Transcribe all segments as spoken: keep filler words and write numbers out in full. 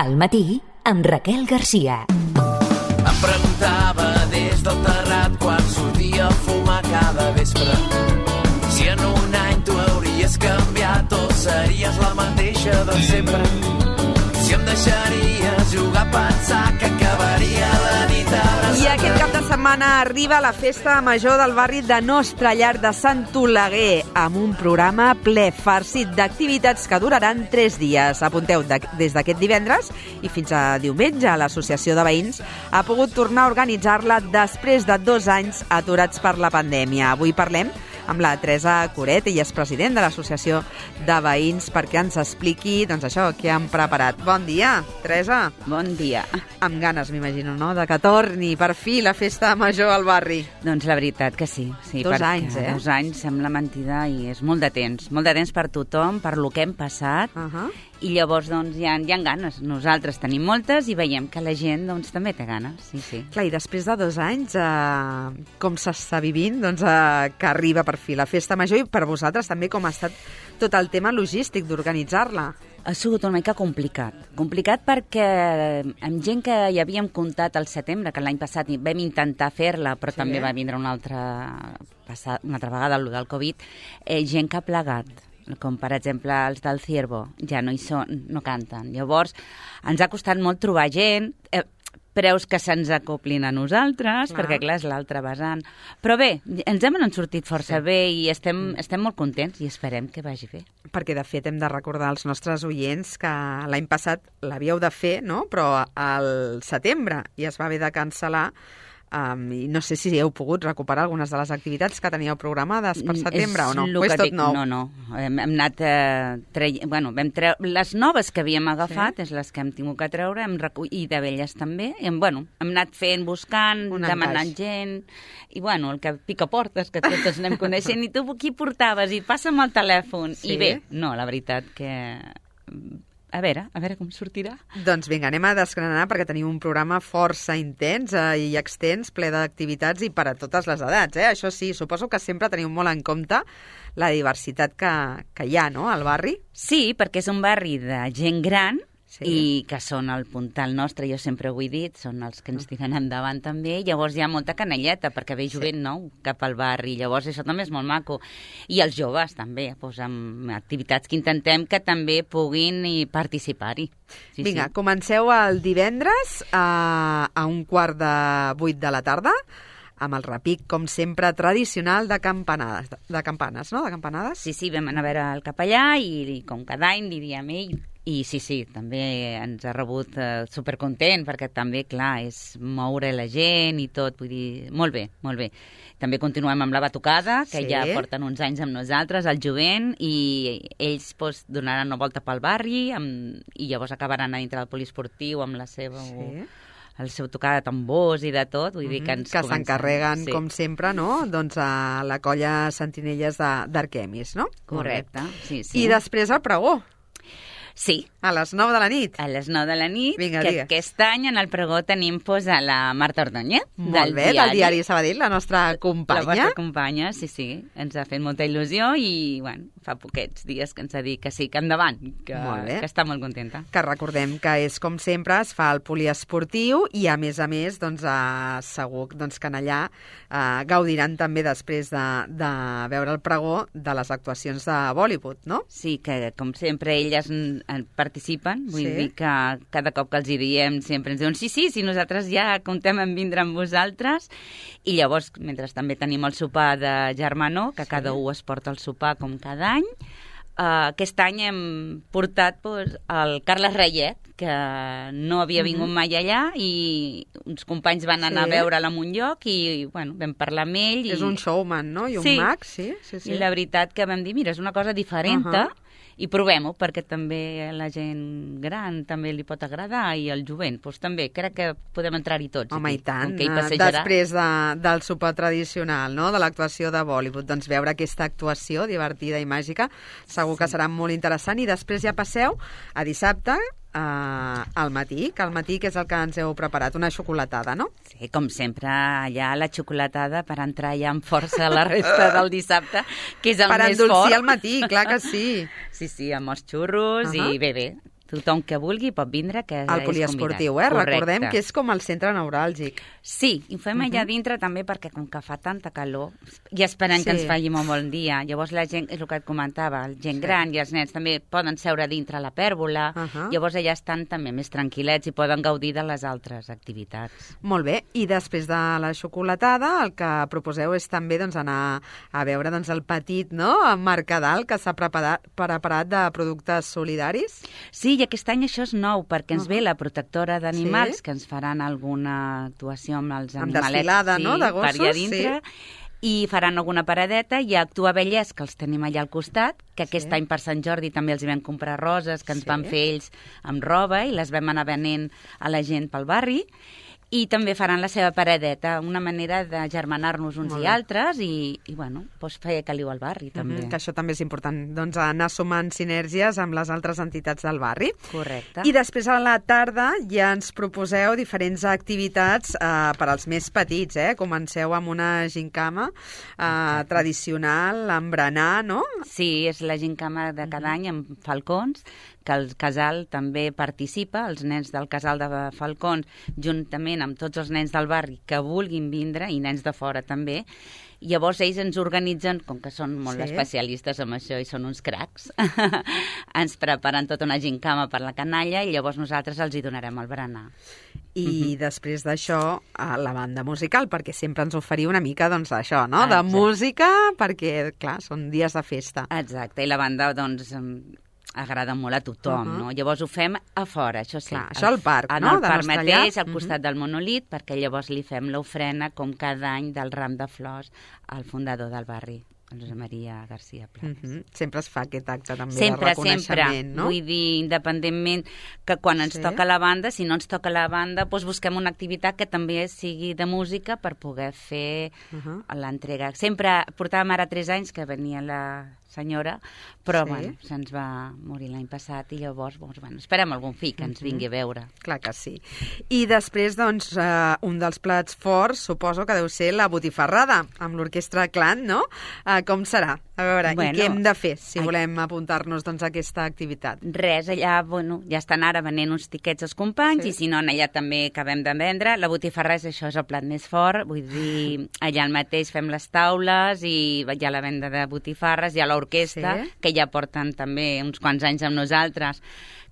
Al matí, amb Raquel Garcia. Em preguntava des del terrat quan sortia a fumar cada vespre si en un any tu hauries canviat o series la mateixa de sempre. Si em deixaries jugar a pensar que acabaria la nit abraçada. I aquest cap de setmana arriba la festa major del barri de Nostra Llar de Sant Oleguer, amb un programa ple farcit d'activitats que duraran tres dies. Apunteu, de, des d'aquest divendres i fins a diumenge, l'Associació de Veïns ha pogut tornar a organitzar-la després de dos anys aturats per la pandèmia. Avui parlem amb la Teresa Coret, ella és president de l'Associació de Veïns, perquè ens expliqui, doncs això, què han preparat. Bon dia, Teresa. Bon dia. Amb ganes, m'imagino, no?, de que torni per fi la festa major al barri. Doncs la veritat que sí. sí dos anys, eh? Dos anys sembla mentida i és molt de temps. Molt de temps per tothom, per lo que hem passat. Uh -huh. I llavors, doncs, hi ha, hi ha ganes. Nosaltres tenim moltes i veiem que la gent, doncs, també té ganes. Sí, sí. Clar, i després de dos anys, eh, com s'està vivint, doncs, eh, que arriba per fi la festa major, i per vosaltres també com ha estat tot el tema logístic d'organitzar-la? Ha sigut una mica complicat. Complicat perquè amb gent que hi havíem comptat al setembre, que l'any passat vam intentar fer-la, però sí, també va vindre una altra, una altra vegada el del Covid, eh, gent que ha plegat, com per exemple els del Ciervo, ja no hi són, no canten. Llavors, ens ha costat molt trobar gent, eh, preus que se'ns acoplin a nosaltres, clar. Perquè clar, és l'altre vessant. Però bé, ens hem sortit força sí. bé i estem, estem molt contents i esperem que vagi bé. Perquè, de fet, hem de recordar als nostres oients que l'any passat l'havíeu de fer, no?, però al setembre, i es va haver de cancel·lar. Um, i no sé si heu pogut recuperar algunes de les activitats que teníeu programades per setembre és o no? O és tot dic, nou? No, no. Hem, hem anat eh, tre... bueno, vam tre... les noves que havíem agafat sí. és les que hem tingut que treure, hem recull... i de velles també. Hem, bueno, hem anat fent, buscant, un demanant encaix. gent, i bueno, el que pica portes, que tots anem coneixent, i tu qui portaves? I passa'm el telèfon. Sí? I bé, no, la veritat que... A veure, a veure com sortirà. Doncs vinga, anem a desgranar perquè tenim un programa força intens eh, i extens, ple d'activitats i per a totes les edats. Eh? Això sí, suposo que sempre teniu molt en compte la diversitat que, que hi ha, no?, al barri. Sí, perquè és un barri de gent gran, sí. i que són el puntal nostre, jo sempre ho he dit, són els que ens tiren endavant també, llavors hi ha molta canelleta, perquè ve jovent sí. nou cap al barri, llavors això també és molt maco. I els joves també, doncs, amb activitats que intentem que també puguin participar-hi. Sí, Vinga, sí. comenceu el divendres a, a un quart de vuit de la tarda, amb el repic, com sempre, tradicional de campanades, de campanes, no?, de campanades. Sí, sí, vam anar a veure el capellà i, i com cada any li diem ell. I sí, sí, també ens ha rebut eh, supercontent, perquè també, clar, és moure la gent i tot, vull dir, molt bé, molt bé. També continuem amb la batucada, que sí. ja porten uns anys amb nosaltres, el jovent, i ells doncs, donaran una volta pel barri, amb, i llavors acabaran a dintre del poliesportiu amb la seva... Sí. el seu tocar de tambors i de tot, vull dir que ens que s'encarreguen, sí. com sempre, no?, doncs a la colla Sentinelles d'Arquemis, no? Correcte, sí, sí. I després el pregó. Sí. A les nou de la nit. A les nou de la nit, Vinga, que digues. Aquest any en el pregó tenim pues, a la Marta Ordóñez, Molt del bé, diari. del diari Sabadell, la nostra companya. La vostra companya, sí, sí. Ens ha fet molta il·lusió i, bueno, fa poquets dies que ens ha dit que sí, que endavant, que, que està molt contenta. Que recordem que és, com sempre, es fa el poliesportiu i, a més a més, doncs, eh, segur doncs, que en allà eh, gaudiran també després de, de veure el pregó de les actuacions de Bollywood, no? Sí, que, com sempre, elles participen, vull sí. dir que cada cop que els hi diem sempre ens diuen sí, sí, sí, nosaltres ja comptem en vindre amb vosaltres, i llavors, mentre també tenim el sopar de germanor, que sí. cada un es porta el sopar com cada any, uh, aquest any hem portat pues, el Carles Reyet, que no havia vingut mai allà, i uns companys van anar sí. a veure'l a un lloc i, bueno, vam parlar amb ell. I... És un showman, no? I un sí. mag, sí, sí, sí. I la veritat que vam dir, mira, és una cosa diferent, uh -huh. i provem-ho, perquè també la gent gran també li pot agradar, i el jovent, doncs també, crec que podem entrar-hi tots. Home, aquí, i tant, que després de, del sopar tradicional, no?, de l'actuació de Bollywood, doncs veure aquesta actuació divertida i màgica, segur sí. que serà molt interessant, i després ja passeu a dissabte, Uh, al matí, que al matí que és el que ens heu preparat, una xocolatada, no? Sí, com sempre, allà la xocolatada per entrar ja amb força la resta del dissabte, que és el per més fort. Per endolcir al matí, clar que sí. Sí, sí, amb els xurros, uh -huh. i bé, bé, Tothom que vulgui pot vindre, que Al poliesportiu, eh? Correcte. Recordem que és com el centre neuràlgic. Sí, i ho fem allà dintre també perquè com que fa tanta calor i esperem Sí. que ens faci molt bon dia. Llavors la gent, és el que et comentava, la gent Sí. gran i els nens també poden seure dintre la pèrgola, Ahà. llavors allà estan també més tranquil·lets i poden gaudir de les altres activitats. Molt bé, i després de la xocolatada el que proposeu és també doncs, anar a veure doncs, el petit no? mercadal que s'ha preparat, preparat de productes solidaris. Sí, i aquest any això és nou, perquè ens Uh-huh. ve la protectora d'animals, Sí. que ens faran alguna actuació amb els Amb animalets desfilada, sí, no?, de per allà gossos, dintre, i faran alguna paradeta, i a Actua Vallès, que els tenim allà al costat, que aquest Sí. any per Sant Jordi també els hi vam comprar roses, que ens Sí. van fer ells amb roba, i les vam anar venent a la gent pel barri, i també faran la seva paradeta, una manera de germanar-nos uns Molt i bé. altres, i, i bueno, doncs fer caliu al barri, també. Mhm, que això també és important, doncs anar sumant sinergies amb les altres entitats del barri. Correcte. I després a la tarda ja ens proposeu diferents activitats eh, per als més petits, eh? Comenceu amb una gincama eh, tradicional, amb berenar, no? Sí, és la gincama de cada any amb falcons, que el casal també participa, els nens del casal de falcons, juntament amb tots els nens del barri que vulguin vindre, i nens de fora també. Llavors ells ens organitzen, com que són molt Sí. especialistes en això i són uns cracs, ens preparen tota una gincama per la canalla i llavors nosaltres els hi donarem el berenar. I després d'això, a la banda musical, perquè sempre ens oferiu una mica, doncs, això, no? De Exacte. música, perquè, clar, són dies de festa. Exacte, i la banda, doncs, em agrada molt a tothom, Uh-huh. no? Llavors ho fem a fora, això sí. Clar, això al parc, en no? el De parc Nostra mateix, Llar. al costat del monòlit, perquè llavors li fem l'ofrena, com cada any, del ram de flors al fundador del barri, el Josep Maria García Planes. Mhm. Sempre es fa aquest acte també Sempre, de reconeixement, sempre. no? Vull dir, independentment que quan ens Sí. toca la banda, si no ens toca la banda, doncs busquem una activitat que també sigui de música per poder fer Uh-huh. l'entrega. Sempre portàvem ara tres anys que venia la senyora, però Sí. bueno, se'ns va morir l'any passat i llavors doncs, bueno, esperem algun fill que ens vingui a veure. Clar que sí. I després, doncs, eh, un dels plats forts, suposo que deu ser la botifarrada, amb l'orquestra Clan, no? Eh, com serà? A veure, Bueno, i què hem de fer si ai- volem apuntar-nos doncs, a aquesta activitat? Res, allà, bueno, ja estan ara venent uns tiquets als companys, Sí. i si no, allà també acabem de vendre. La botifarra és això, és el plat més fort, vull dir, allà al mateix fem les taules i hi ha la venda de botifarres, hi ha l'orquestra, Sí. que ja porten també uns quants anys amb nosaltres,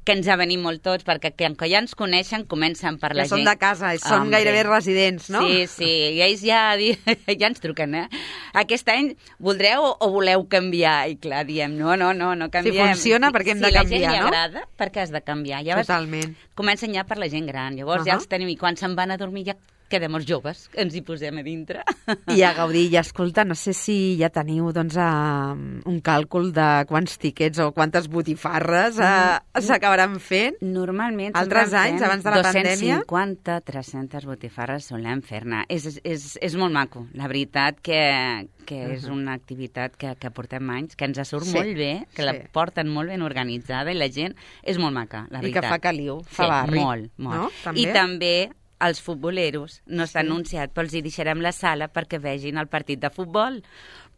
que ens ha venit molt tots, perquè que, que ja ens coneixen, comencen per la Ja són gent. de casa, són Hombre. gairebé residents, no? Sí, sí, i ells ja, di- ja ens truquen, eh? Aquest any voldreu o, o voleu canviar? I clar, diem, no, no, no, no canviem. funciona, perquè hem de si canviar, Si la gent no? li agrada, per què has de canviar? Ja vas- Totalment. Comencen ja per la gent gran, llavors Uh-huh. ja els tenim, i quan se'n van a dormir ja quedem els joves, que ens hi posem a dintre. I a gaudir. I escolta, no sé si ja teniu doncs, uh, un càlcul de quants tiquets o quantes botifarres uh, s'acabaran fent. Normalment... Altres se'n van anys, fent abans de la pandèmia? dos-cents cinquanta, tres-centes botifarres solem fer-ne. És, és, és molt maco. La veritat que, que és una activitat que, que portem anys, que ens surt Sí, molt bé, que sí. la porten molt ben organitzada, i la gent és molt maca, la I veritat. que fa caliu, fa sí, barri. molt, molt. No? També? I també els futboleros, no està Sí. anunciat, però els hi deixarem la sala perquè vegin el partit de futbol,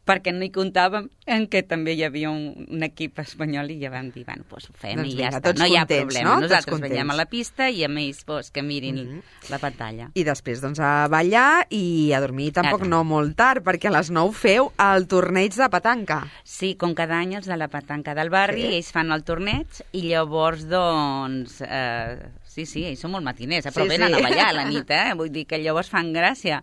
perquè no hi comptàvem en què també hi havia un, un equip espanyol, i ja vam dir, bueno, doncs ho fem Doncs i ja vinga, està, tots no hi ha contents, problema. no? Tots Nosaltres contents. veiem a la pista i amb ells doncs, que mirin Mhm. la pantalla. I després, doncs, a ballar i a dormir tampoc Ara. no molt tard, perquè a les nou feu el torneig de petanca. Sí, com cada any els de la petanca del barri, Sí. ells fan el torneig i llavors, doncs, eh, sí, sí, ells són molt matiners, eh, però Sí, venen sí. a ballar a la nit, eh? Vull dir que llavors fan gràcia.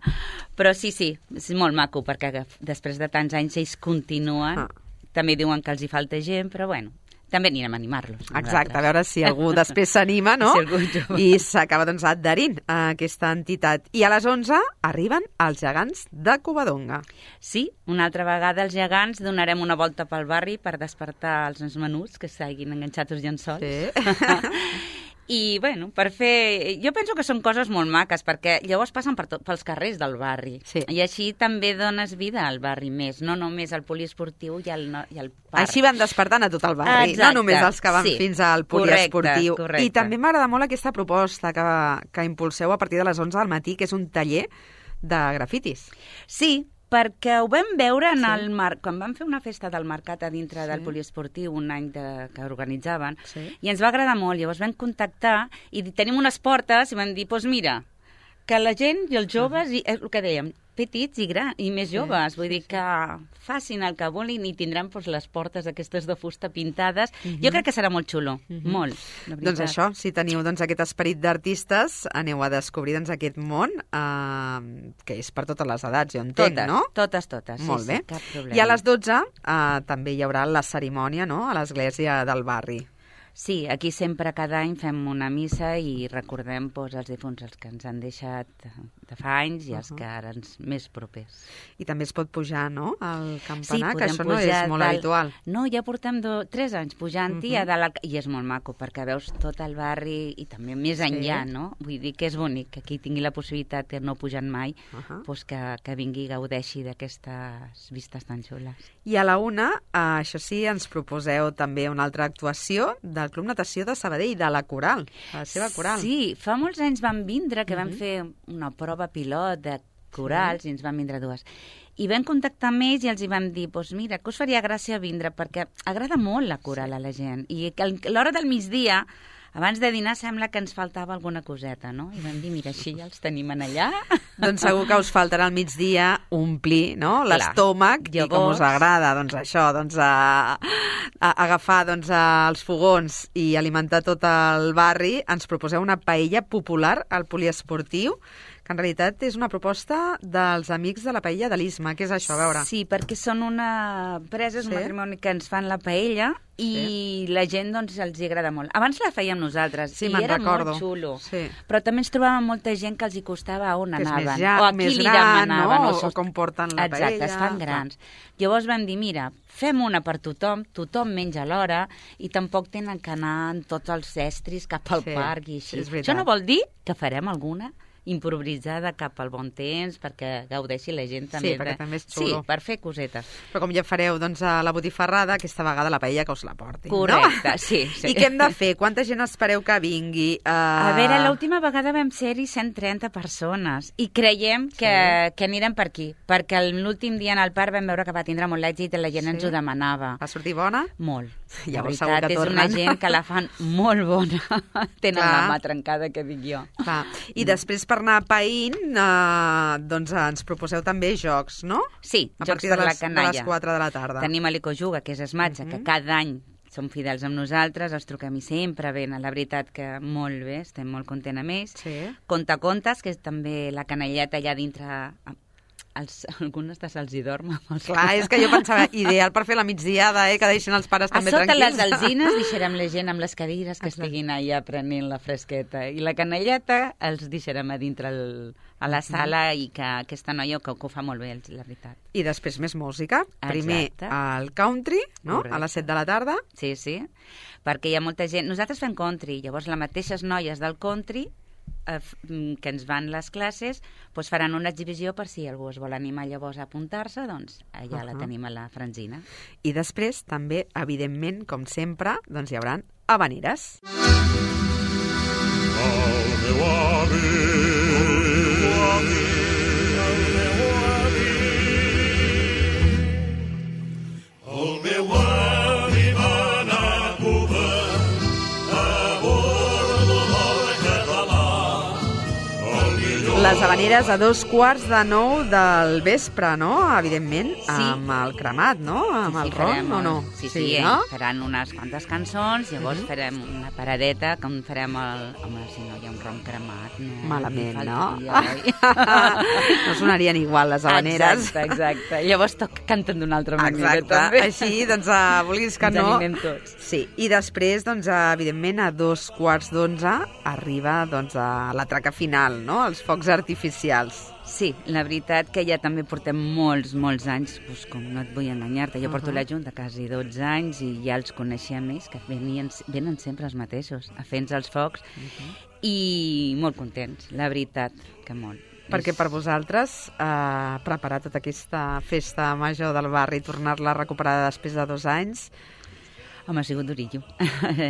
Però sí, sí, és molt maco, perquè després de tants anys ells continuen. Ah. També diuen que els hi falta gent, però bueno, també anirem a animar-los. Exacte, a veure si algú després s'anima, no? Si algú jove. I s'acaba doncs, adherint a aquesta entitat. I a les onze arriben els gegants de Covadonga. Sí, una altra vegada els gegants donarem una volta pel barri per despertar els nens menuts que s'hagin enganxat els llençols. Sí. I, bueno, per fer... Jo penso que són coses molt maques, perquè llavors passen per tot, pels carrers del barri. Sí. I així també dones vida al barri més, no només al poliesportiu i al, no, i al parc. Així van despertant a tot el barri, Exacte, no només els que van sí. fins al poliesportiu. Correcte, correcte. I també m'agrada molt aquesta proposta que, que impulseu a partir de les onze del matí, que és un taller de grafitis. Sí, perquè ho vam veure en Sí. el mar... quan vam fer una festa del mercat a dintre Sí. del poliesportiu un any de... que organitzaven, Sí. i ens va agradar molt. Llavors vam contactar i tenim unes portes i vam dir, doncs mira, que la gent i els joves, i és el que dèiem, petits i grans, i més joves, Sí, vull sí, dir sí. que facin el que vulguin i tindran doncs, les portes aquestes de fusta pintades. Mhm. Jo crec que serà molt xulo, Mhm. molt, la veritat. Doncs això, si teniu doncs, aquest esperit d'artistes, aneu a descobrir doncs, aquest món, eh, que és per totes les edats, jo entenc, Totes, no? totes, totes. Molt sí, bé. Sí, cap problema. I a les dotze eh, també hi haurà la cerimònia, no?, a l'església del barri. Sí, aquí sempre cada any fem una missa i recordem doncs, els difunts, els que ens han deixat de fa anys i els Uh-huh. que ara ens més propers. I també es pot pujar, no?, al Sí, campanar, que podem això no pujar és molt dalt. habitual. No, ja portem do, tres anys pujant-hi Mhm. a dalt, al- i és molt maco, perquè veus tot el barri i també més enllà, Sí. no? Vull dir que és bonic, que qui tingui la possibilitat de no pujant mai, Uh-huh. doncs que, que vingui i gaudeixi d'aquestes vistes tan xules. I a la una, eh, això sí, ens proposeu també una altra actuació del Club Natació de Sabadell, de la Coral, de la seva coral. Sí, fa molts anys vam vindre, que vam Mhm. fer una prova pilot de corals i ens van vindre dues. I vam contactar amb ells i els hi vam dir, doncs mira, que us faria gràcia vindre, perquè agrada molt la coral a la gent. I que a l'hora del migdia, abans de dinar, sembla que ens faltava alguna coseta, no? I vam dir, mira, així ja els tenim en allà. Doncs segur que us faltarà al migdia omplir, no?, l'estómac, i com us agrada, doncs això, doncs a, a agafar doncs, a, els fogons i alimentar tot el barri, ens proposeu una paella popular al poliesportiu, que en realitat és una proposta dels amics de la paella de l'Isma. Què és això? A veure. Sí, perquè són una empresa, és Sí. un matrimoni que ens fan la paella i la gent doncs els hi agrada molt. Abans la fèiem nosaltres Sí, i me'n era recordo. molt xulo. Sí. Però també ens trobàvem molta gent que els hi costava on Que és anaven. més ja- o a qui més li gran, demanaven. no? O, O com porten la Exacte, paella, es fan clar. grans. Llavors vam dir, mira, fem una per tothom, tothom menja a l'hora i tampoc tenen que anar en tots els estris cap al Sí, parc i sí, així. és veritat. Això no vol dir que farem alguna improvisada cap al bon temps perquè gaudeixi la gent també. Sí, perquè de... també és xulo. Sí, per fer cosetes. Però com ja fareu doncs, a la botifarrada, aquesta vegada la paella que us la portin, Correcte, no? sí, sí. I què hem de fer? Quanta gent espereu que vingui? Uh... A veure, l'última vegada vam ser-hi cent trenta persones i creiem que, Sí. que anirem per aquí, perquè l'últim dia en el parc vam veure que va tindre molt èxit i la gent Sí. ens ho demanava. Va sortir bona? Molt. La Llavors segur veritat que és tornen. una gent que la fan molt bona. Tenen Clar. la mà trencada, que dic jo. Clar. I després per anar païnt, uh, doncs ens proposeu també jocs, no? Sí, A jocs partir per de la les, de canalla. les quatre de la tarda. Tenim a l'Ecojuga, que és Esmatxa, Mhm. que cada any són fidels amb nosaltres, els truquem i sempre venen. La veritat que molt bé, estem molt contents amb ells. Sí. Contacontes, que és també la canalleta allà dintre... Els, algunes de se'ls hi dorm. Amb els Clar, és que jo pensava, ideal per fer la migdiada, eh, que deixin els pares A també sota les tranquils. alzines deixarem la gent amb les cadires que Exacte. estiguin allà prenent la fresqueta. I la canalleta els deixarem a dintre el, a la sala i que aquesta noia que, que ho fa molt bé, la veritat. I després més música. Primer Exacte. el country, no? Correcte. A les set de la tarda. Sí, sí, perquè hi ha molta gent... Nosaltres fem country, llavors les mateixes noies del country eh, f- mm, que ens van les classes doncs faran una exhibició per si algú es vol animar llavors a apuntar-se, doncs allà la Ahà. tenim a la Franzina. I després, també, evidentment, com sempre, doncs hi haurà habaneres. El meu avi, el meu avi, el meu avi va anar a Cuba a bordo del català. El millor Les habaneres a dos quarts de nou del vespre, no? Evidentment, Sí. amb el cremat, no? Amb el ron, farem o no? el- Sí, sí, eh? no? faran unes quantes cançons, llavors Mhm. farem una paradeta, com farem el... Home, si no hi ha un ron cremat... No, Malament, li no? faltaria, oi? No sonarien igual, les habaneres. Exacte, exacte. Llavors toc, canten d'una altra manera, Exacte. també. Així, doncs, uh, vulguis que Ens no... animem tots. Sí, i després, doncs, uh, evidentment, a dos quarts d'onze arriba, doncs, a la traca final, no? Els focs artificials. Sí, la veritat que ja també portem molts, molts anys, doncs, com no et vull enganyar-te, jo porto Uh-huh. la Junta quasi dotze anys i ja els coneixem ells, que venien, venen sempre els mateixos, a fer-nos els focs, i molt contents, la veritat, que molt. Perquè És- per vosaltres eh, preparar tota aquesta festa major del barri i tornar-la a recuperar després de dos anys, Home, ha sigut durillo.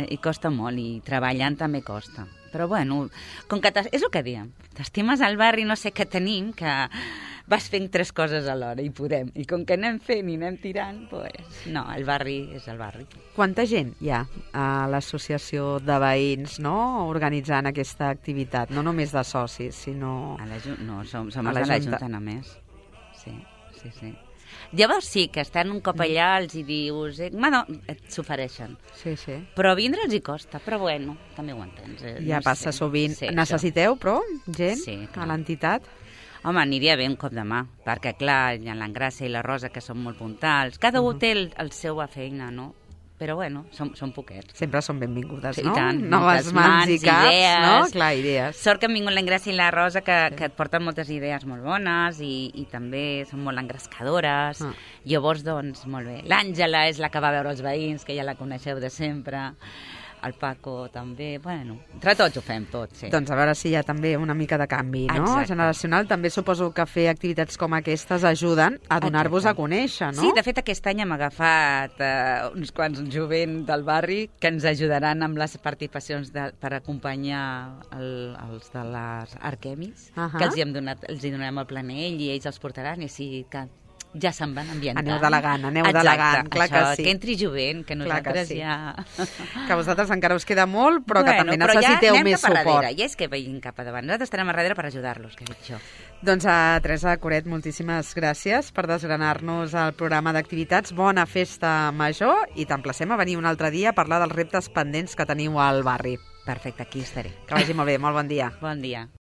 I costa molt, i treballant també costa. Però bueno, com que t'es- és el que diem, t'estimes al barri, no sé què tenim, que vas fent tres coses alhora i podem. I com que anem fent i anem tirant, pues, no, el barri és el barri. Quanta gent hi ha a l'associació de veïns, no?, organitzant aquesta activitat? No només de socis, sinó... A la, no, som, som a els la de la Junta. Junta només. Sí, sí, sí. Llavors sí, que estan un cop allà, els hi dius... Eh, bueno, s'ofereixen. Sí, sí. Però vindre els hi costa, però bueno, també ho entens. Eh? Ja no passa sé. sovint. Sí, Necessiteu, però, gent Sí, clar. a l'entitat? Home, aniria bé un cop de mà, perquè clar, hi ha l'Engràcia i la Rosa, que són molt puntals. Cada uh -huh. un té el, el seva feina, no? Però bueno, són, són poquets. Sempre són benvingudes, Sí, no? i tant, Noves moltes mans, mans, i caps, idees. no? Clar, idees. Sort que han vingut l'Engràcia i la Rosa, que, que et porten moltes idees molt bones i, i també són molt engrescadores. Ah. Llavors, doncs, molt bé. L'Àngela és la que va veure els veïns, que ja la coneixeu de sempre. El Paco també. Bueno, entre tots ho fem tot, sí. Doncs a veure si hi ha també una mica de canvi, no? Exacte. Generacional. També suposo que fer activitats com aquestes ajuden a donar-vos a Exacte. conèixer, no? Sí, de fet, aquest any hem agafat eh, uns quants jovent del barri que ens ajudaran amb les participacions de, per acompanyar el, els de les Arquemis, Ahà. que els hi, hem donat, els hi donarem el planell i ells els portaran, i així que ja se'n van ambientant. Aneu delegant, aneu Exacte, delegant, clar això, que sí. que entri jovent, que Clar que nosaltres sí. ja... Que a vosaltres encara us queda molt, però que bueno, també però necessiteu ja anem més cap a suport. darrere, ja és que vegin cap a davant. Nosaltres estarem a darrere per ajudar-los, que he dit això. Doncs a Teresa Coret, moltíssimes gràcies per desgranar-nos el programa d'activitats. Bona festa major i t'emplacem a venir un altre dia a parlar dels reptes pendents que teniu al barri. Perfecte, aquí estaré. Que vagi molt bé, molt bon dia. Bon dia.